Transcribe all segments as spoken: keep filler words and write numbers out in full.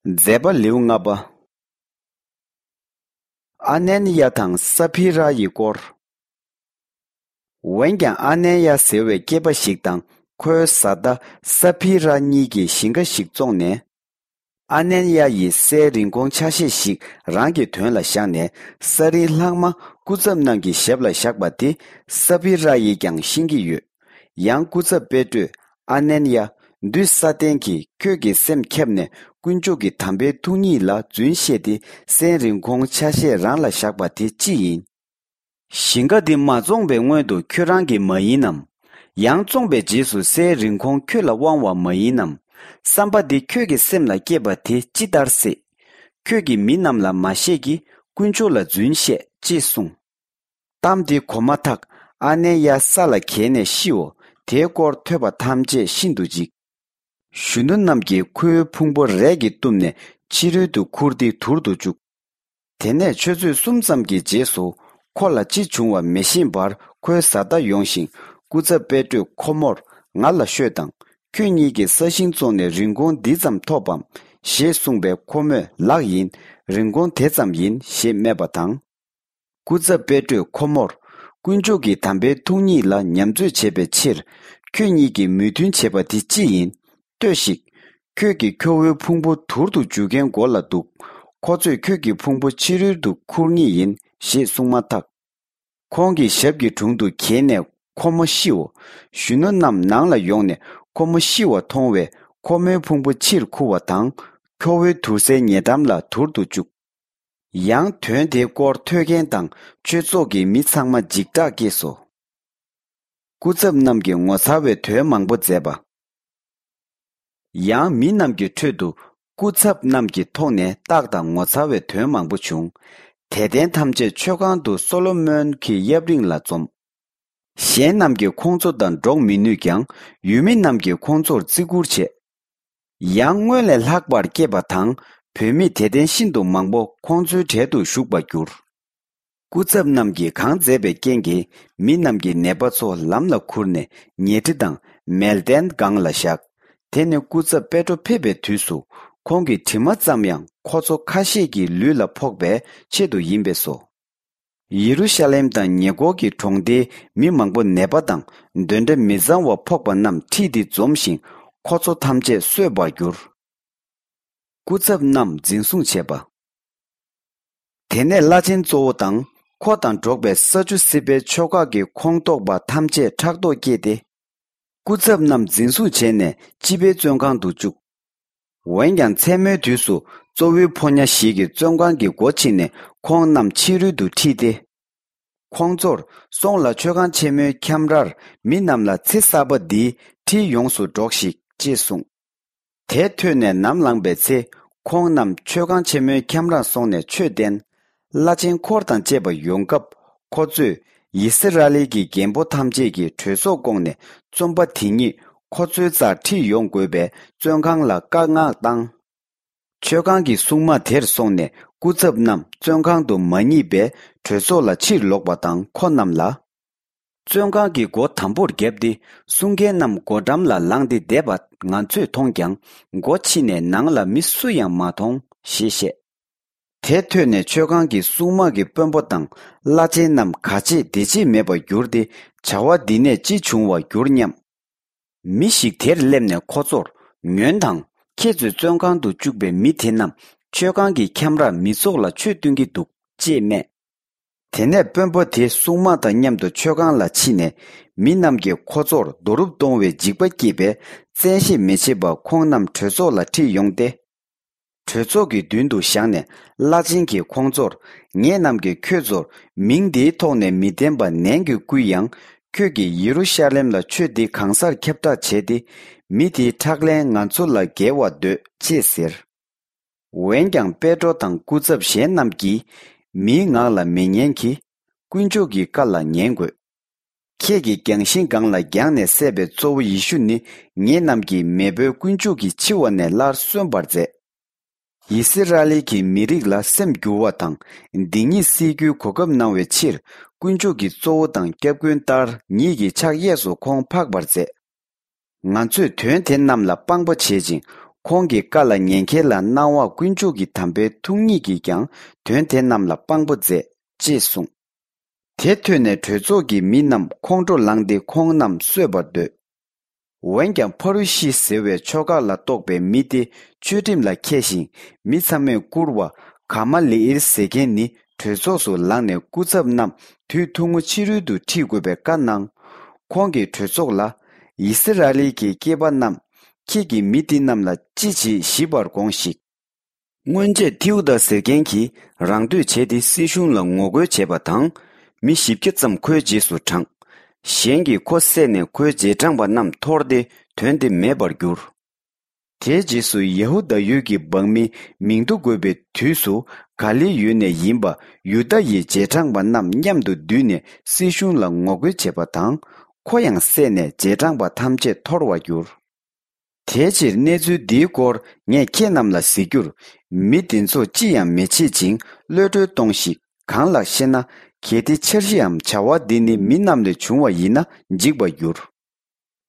མཛད་པ་ལེའུ་ལྔ་པ། ཨ་ནན་ཡ་དང་ས་ཕི་ར་ཡི་སྐོར། འོན་ཀྱང་ཨ་ནན་ཡ་ཟེར་བའི་སྐྱེས་པ་ཞིག་དང་ཁོའི་བཟའ་ཟླ་ས་ཕི་ར་གཉིས་ཀྱིས་ཞིང་ཁ་ཞིག་བཙོངས་ནས། ཨ་ནན་ཡ་ཡིས་སའི་རིན་གོང་ཆ་ཤས་ཤིག་རང་གི་དོན་ལ་བཞག་ནས་ས་རིན་ལྷག་མ་སྐུ་ཚབ་རྣམས་ཀྱི་ཞབས་ལ་བཞག་པ་དེ་ས་ཕི་ར་ཡིས་ཀྱང་ཤེས་ཀྱི་ཡོད། ཡང་སྐུ་ཚབ་པེ་ཏྲོས་ཨ་ནན་ཡ། འདུས་ས་ཏན་གྱིས་ཁྱོད་ཀྱི་སེམས་ཁྱབ་ནས་དཀོན་མཆོག་གི་དམ་པའི་ཐུགས་ཉིད་ལ་རྫུན་བཤད་དེ་སའི་རིན་གོང་ཆ་ཤས་རང་ལ་བཞག་པ་དེ་ཅི་ཡིན། ཞིང་ཁ་འདི་མ་བཙོངས་པའི་སྔོན་དུ་ཁྱོད་རང་གི་མ་ཡིན་ནམ། ཡང་བཙོངས་པའི་རྗེས་སུ་སའི་རིན་གོང་ཁྱོད་ལ་དབང་བ་མ་ཡིན་ནམ། བསམ་པ་འདི་ཁྱོད་ཀྱི་སེམས་ལ་སྐྱེས་པ་དེ་ཅི་ལྟར་སྲིད། ཁྱོད་ཀྱིས་མི་རྣམས་ལ་མ་བཤད་ཀྱི་དཀོན་མཆོག་ལ་རྫུན་བཤད་ཅེས་གསུངས། གཏམ་དེ་གོ་མ་ཐག་ཨ་ནན་ཡ་ས་ལ་འགྱེལ་ནས་ཤིའོ། དེའི་སྐོར་ཐོས་པ་ཐམས་ཅད་ཤིན་ཏུ་འཇིགས། གཞོན་ནུ་རྣམས་ཀྱིས་ཁོའི་ཕུང་པོ་རས་ཀྱིས་བཏུམས་ནས་ཕྱི་རོལ་དུ་ཁུར་ཏེ་དུར་དུ་བཅུག། དེ་ནས་ཆུ་ཚོད་གསུམ་ཙམ་གྱི་རྗེས་སུ་ཁོ་ལ་ཅི་བྱུང་བ་མི་ཤེས་པར་ཁོའི་བཟའ་ཟླ་ཡོང་ཞིང་སྐུ་ཚབ་པེ་ཏྲོས་ཁོ་མོར་ང་ལ་ཤོད་དང་། ཁྱོད་གཉིས་ཀྱིས་ས་ཞིང་བཙོངས་ནས་རིན་གོང་འདི་ཙམ་ཐོབ་བམ་ཞེས་གསུངས་པས་ཁོ་མོས་ལགས་ཡིན། རིན་གོང་དེ་ཙམ་ཡིན་ཞེས་སྨྲས་པ་དང་། སྐུ་ཚབ་པེ་ཏྲོས་ཁོ་མོར། དཀོན་མཆོག་གི་དམ་པའི་ཐུགས་ཉིད་ལ་ཉམས་ཚོད་བྱེད་པའི་ཕྱིར། ཁྱོད་གཉིས་ཀྱིས་མོས་མཐུན་བྱེད་པ་དེ་ཅི་ཡིན། ལྟོས་ཤིག། ཁྱོད་ཀྱིས་ཁྱོ་བོའི་ཕུང་པོ་དུར་དུ་འཇུག་མཁན་མགོ་ལ་འདུག། ཁོ་ཚོས་ཁྱོད་ཀྱི་ཕུང་པོ་ཕྱི་རོལ་དུ་ཁུར་ངེས་ཡིན་ཞེས་གསུངས་མ་ཐག། ཁོང་གི་ཞབས་ཀྱི་དྲུང་དུ་འགྱེལ་ནས་ཁོ་མོ་ཤིའོ། གཞོན་ནུ་རྣམས་ནང་ལ་ཡོང་ནས་ཁོ་མོ་ཤི་བ་མཐོང་བས་ཁོ་མོའི་ཕུང་པོ་ཕྱིར་ཁུར་བ་དང་། ཁྱོ་བོའི་དུར་སའི་ཉེ་འགྲམ་ལ་དུར་དུ་བཅུག། ཡང་དོན་དེའི་སྐོར་ཐོས་མཁན་དང་ཆོས་ཚོགས་ཀྱི་མི་ཚང་མ་འཇིགས་སྐྲག་སྐྱེས་སོ། སྐུ་ཚབ་རྣམས་ཀྱིས་ངོ་མཚར་བའི་དོན་མང་པོ་མཛད་པ། ཡང་མི་རྣམས་ཀྱི་ཁྲོད་དུ་སྐུ་ཚབ་རྣམས་ཀྱི་ཐོག་ནས་རྟགས་དང་ངོ་མཚར་བའི་དོན་མང་པོ་བྱུང་། དད་ལྡན་ཐམས་ཅད་མཆོད་ཁང་དུ་སོ་ལོ་མོན་གྱི་གཡབ་རིང་ལ་འཛོམས། གཞན་རྣམས་ཀྱིས་ཁོང་ཚོ་དང་འགྲོགས་མི་ནུས་ཀྱང་ཡུལ་མི་རྣམས་ཀྱིས་ཁོང་ཚོར་བརྩི་བཀུར་བྱས། ཡང་སྔོན་ལས་ལྷག་པར་སྐྱེས་པ་དང་བུད་མེད་དད་ལྡན་ཤིན་ཏུ་མང་པོ་ཁོང་ཚོའི་གྲལ་དུ་ཞུགས་པར་གྱུར། སྐུ་ཚབ་རྣམས་ཀྱིས་གང་མཛད་པའི་རྐྱེན་གྱིས་མི་རྣམས་ཀྱིས་ནད་པ་ཚོ་ལམ་ལ་ཁུར་ནས་ཉལ་ཁྲི་དང་མལ་སྟན་སྒང་ལ་བཞག། དེ་ནི་སྐུ་ཚབ་པེ་ཏྲོ་ཕེབས་པའི་དུས་སུ་ཁོང་གི་དྲི་མ་ཙམ་ཡང་ཁོ་ཚོ་ཁ་ཤས་ཀྱི་ལུས་ལ་ཕོག་པའི་ཆེད་དུ་ཡིན་པས་སོ། ཡེ་རུ་ཤ་ལེམ་དང་ཉེ་འཁོར་གྱི་གྲོང་སྡེའི་མི་མང་པོ་ནད་པ་དང་གདོན་འདྲེ་མི་གཙང་བ་ཕོག་པ་རྣམས་ཁྲིད་དེ་འཛོམས་ཤིང་ཁོ་ཚོ་ཐམས་ཅད་གསོས་པར་གྱུར། སྐུ་ཚབ་རྣམས་འཛིན་བཟུང་བྱས་པ། དེ་ནས་བླ་ཆེན་གཙོ་བོ་དང་ཁོ་དང་འགྲོགས་པའི་ས་ཅུ་སི་པའི་ཕྱོགས་ཁག་གི་ཁོངས་གཏོགས་པ་ཐམས་ཅད་ཕྲག་དོག་སྐྱེས་ཏེ། སྐུ་ཚབ་རྣམས་འཛིན་བཟུང་བྱས་ནས་སྤྱི་པའི་བཙོན་ཁང་དུ་བཅུག། འོན་ཀྱང་མཚན་མོའི་དུས་སུ་གཙོ་བོའི་ཕོ་ཉ་ཞིག་གིས་བཙོན་ཁང་གི་སྒོ་ཕྱེ་ནས་ཁོང་རྣམས་ཕྱི་རོལ་དུ་ཁྲིད་དེ། ཁོང་ཚོར་སོང་ལ་མཆོད་ཁང་ཆེན་མོའི་ཁྱམས་རར་མི་རྣམས་ལ་ཚེ་གསར་པ་འདིའི་ཁྲིད་ཡོངས་སུ་སྒྲོགས་ཤིག་ཅེས་གསུངས། དེ་ཐོས་ནས་ནམ་ལངས་པའི་ཚེ་ཁོང་རྣམས་མཆོད་ཁང་ཆེན་མོའི་ཁྱམས་རར་སོང་ནས་ཆོས་བསྟན། བླ་ཆེན་འཁོར་དང་བཅས་པ་ཡོང་སྐབས་ཁོ་ཚོས་ཡི་སི་ར་ཨེལ་གྱི་རྒན་པོ་ཐམས་ཅད་ཀྱིས་གྲོས་ཚོགས་བསྐོངས་ནས་བཙོན་པ་དེ་ཉིད་ཁོ་ཚོའི་རྩར་ཁྲིད་ཡོང་དགོས་པའི་བཙོན་ཁང་ལ་བཀའ་མངགས་བཏང་། མཆོད་ཁང་གི་སྲུང་མ་དེར་སོང་ནས་སྐུ་ཚབ་རྣམས་བཙོན་ཁང་དུ་མ་རྙེད་པས་གྲོས་ཚོགས་ལ་ཕྱིར་ལོག་པ་དང་ཁོ་རྣམས་ལ། བཙོན་ཁང་གི་སྒོ་དམ་པོར་བརྒྱབ་སྟེ་སྲུང་མཁན་རྣམས་སྒོ་འགྲམ་ལ་ལངས་ཏེ་བསྡད་པ་ང་ཚོས་མཐོང་ཀྱང་སྒོ་ཕྱེ་ནས་ནང་ལ་མི་སུ་ཡང་མ་མཐོང་ཞེས་བཤད། དེ་ཐོས་ནས་མཆོད་ཁང་གི་སྲུང་མ་གི་དཔོན་པོ་དང་བླ་ཆེན་རྣམས་ག་བྱེད་བདེ་བྱེད་མེད་པར་གྱུར་ཏེ་བྱ་བ་འདི་ནས་ཅི་བྱུང་བར་གྱུར་སྙམ། མི་ཞིག་དེར་སླེབས་ནས་ཁོ་ཚོར་ཉོན་དང་། ཁྱེད་ཚོས་བཙོན་ཁང་དུ་བཅུག་པའི་མི་དེ་རྣམས་མཆོད་ཁང་གི་ཁྱམས་རར་མི་ཚོགས་ལ་ཆོས་སྟོན་གྱི་འདུག་ཅེས་སྨྲས། དེ་ནས་དཔོན་པོ་དེ་སྲུང་མ་དང་མཉམ་དུ་མཆོད་ཁང་ལ་ཕྱིན་ནས་མི་རྣམས་ཀྱིས་ཁོ་ཚོར་རྡོ་རུབ་གཏོང་བའི་འཇིགས་པ་སྐྱེས་པས་བཙན་ཤེད་མི་བྱེད་པར་ཁོང་རྣམས་གྲོས་ཚོགས་ལ་ཁྲིད་ཡོང་སྟེ། གྲོས་ཚོགས་ཀྱི་མདུན་དུ་བཞག་ནས་བླ་ཆེན་གྱིས་ཁོང་ཚོར་ངེད་རྣམས་ཀྱིས་ཁྱོད་ཚོར་མིང་འདིའི་ཐོག་ནས་མི་བསྟན་པ་ནན་གྱིས་བསྐུལ་ཡང་ཁྱོད་ཀྱིས་ཡེ་རུ་ཤ་ལེམ་ལ་ཆོས་འདི་གང་སར་ཁྱབ་བསྒྲགས་བྱས་ཏེ་མི་དེའི་ཁྲག་ལན་ང་ཚོ་ལ་འགེལ་བར་འདོད་ཅེས་ཟེར། འོན་ཀྱང་པེ་ཏྲོ་དང་སྐུ་ཚབ་གཞན་རྣམས་ཀྱིས་མིའི་ངག་ལ་མི་ཉན་གྱི། དཀོན་མཆོག་གི་བཀའ་ལ་ཉན་དགོས། ཁྱེད་ཀྱིས་རྒྱང་ཤིང་སྒང་ལ་རྒྱང་ནས་བསད་པའི་གཙོ་བོ་ཡེ་ཤུ་ནི་ངེད་རྣམས་ཀྱིས་མེས་པོའི་དཀོན་མཆོག་གིས་འཆི་བ་ནས་སླར་གསོན་པར་མཛད། ཡི་སི་ར་ཨེལ་གྱི་མི་རིགས་ལ་སེམས་འགྱུར་བ་དང་སྡིག་ཉེས་སེལ་རྒྱུའི་གོ་སྐབས་གནང་བའི་ཕྱིར་དཀོན་མཆོག་གི་གཙོ་བོ་དང་སྐྱབས་མགོན་ལྟར་ཉིད་ཀྱི་ཕྱག་གཡས་སུ་ཁོང་འཕགས་པར་མཛད། ང་ཚོས་དོན་དེ་རྣམས་ལ་དཔང་པོ་བྱེད་ཅིང་ ཁོང་གི་བཀའ་ལ་ཉན་མཁན་ལ་གནང་བ་དཀོན་མཆོག་གི་དམ་པའི་ཐུགས་ཉིད་ཀྱིས་ཀྱང་དོན་དེ་རྣམས་ལ་དཔང་པོ་མཛད། ཅེས་གསུངས། དེ་ཐོས་ནས་གྲོས་ཚོགས་ཀྱི་མི་རྣམས་ཁོང་ཁྲོ་ལངས་ཏེ་ཁོང་རྣམས་གསོད་པར་འདོད། འོན་ཀྱང་ཕ་རུ་ཤི་ཟེར་བའི་ཆོ་ག་ལ་གཏོགས་པའི་མི་དེ་ཆོས་ཁྲིམས་ལ་མཁས་ཤིང་མི་ཚང་མས་བཀུར་བ་ག་མ་ལེ་ཨིལ་ཟེར་མཁན་ནི་གྲོས་ཚོགས་སུ་ལངས་ནས་སྐུ་ཚབ་རྣམས་དུས་ཐུང་ངུ་ཕྱི་རོལ་དུ་ཁྲིད་དགོས་པའི་བཀའ་གནང་། ཁོང་གིས་གྲོས་ཚོགས་ལ། ཡི་སི་ར་ཨེལ་གྱི་སྐྱེས་པ་རྣམས། ཁྱེད་ཀྱིས་མི་འདི་རྣམས་ལ་ཅི་བྱེད་ཞིབ་པར་དགོངས་ཤིག། སྔོན་ཆད་ཐེའུ་དཱ་ཟེར་མཁན་གྱིས་རང་འདོད་བྱས་ཏེ་སྲིད་གཞུང་ལ་ངོ་རྒོལ་བྱས་པ་དང་། མི་བཞི་བརྒྱ་ཙམ་ཁོའི་རྗེས་སུ་འབྲངས། གཞན་གྱིས་ཁོ་བསད་ནས་ཁོའི་རྗེས་འབྲངས་པ་རྣམས་འཐོར་ཏེ་དོན་དེ་མེད་པར་གྱུར། དེའི་རྗེས་སུ་ཡ་ཧུ་དཱ་ཡུལ་གྱི་འབངས་མི་མིང་ཐོ་འགོད་པའི་དུས་སུ་ག་ལེ་ཡུལ་ནས་ཡིན་པ་ཡུ་དཱ་ཡི་རྗེས་འབྲངས་པ་རྣམས་མཉམ་དུ་འདུས་ནས་སྲིད་གཞུང་ལ་ངོ་རྒོལ་བྱས་པ་དང་། ཁོ་ཡང་བསད་ནས་རྗེས་འབྲངས་པ་ཐམས་ཅད་འཐོར་བར་གྱུར། དེའི་ཕྱིར་གནས་ཚུལ་འདིའི་སྐོར་ངས་ཁྱེད་རྣམས་ལ་གཟིགས་རྒྱུར། མི་འདི་ཚོ་ཅི་ཡང་མི་བྱེད་ཅིང་གློད་གྲོལ་གཏོང་ཞིག། གང་ལགས་ཤེ་ན། གལ་ཏེ་འཆར་གཞིའམ་བྱ་བ་འདི་ནི་མི་རྣམས་ལས་བྱུང་བ་ཡིན་ན་འཇིག་པར་འགྱུར།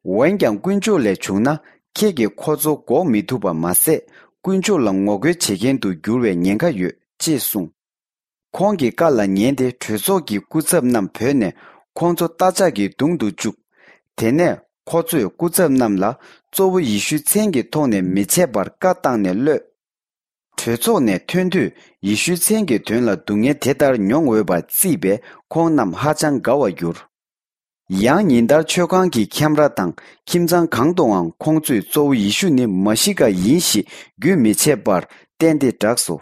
འོན་ཀྱང་དཀོན་མཆོག་ལས་བྱུང་ན་ཁྱེད་ཀྱིས་ཁོ་ཚོ་འགོག་མི་ཐུབ་པ་མ་ཟད། དཀོན་མཆོག་ལ་ངོ་རྒོལ་བྱེད་མཁན་དུ་འགྱུར་བའི་ཉེན་ཁ་ཡོད། ཅེས་གསུངས། ཁོང་གི་བཀའ་ལ་ཉན་ཏེ་གྲོས་ཚོགས་ཀྱི་སྐུ་ཚབ་རྣམས་བོས་ནས་ཁོང་ཚོ་རྟ་ལྕག་གིས་བརྡུང་དུ་བཅུག། དེ་ནས་ཁོ་ཚོས་སྐུ་ཚབ་རྣམས་ལ་གཙོ་བོ་ཡེ་ཤུའི་མཚན་གྱི་ཐོག་ནས་མི་བྱེད་པར་བཀའ་བཏང་ནས་གློད། གྲོས་ཚོགས་ནས་ཐོན་དུས་ཡེ་ཤུའི་མཚན་གྱི་དོན་ལ་སྡུག་བསྔལ་དེ་ལྟར་མྱོང་འོས་པ་བརྩིས་པས་ཁོང་རྣམས་ཧ་ཅང་དགའ་བར་གྱུར། ཡང་ཉིན་ལྟར་མཆོད་ཁང་གི་ཁྱམས་ར་དང་ཁྱིམ་ཚང་གང་དུའང་ཁོང་ཚོས་གཙོ་བོ་ཡེ་ཤུ་ནི་མ་ཤི་ཀ་ཡིན་ཞེས་རྒྱུན་མི་ཆད་པར་བསྟན་ཏེ་བསྒྲགས་སོ།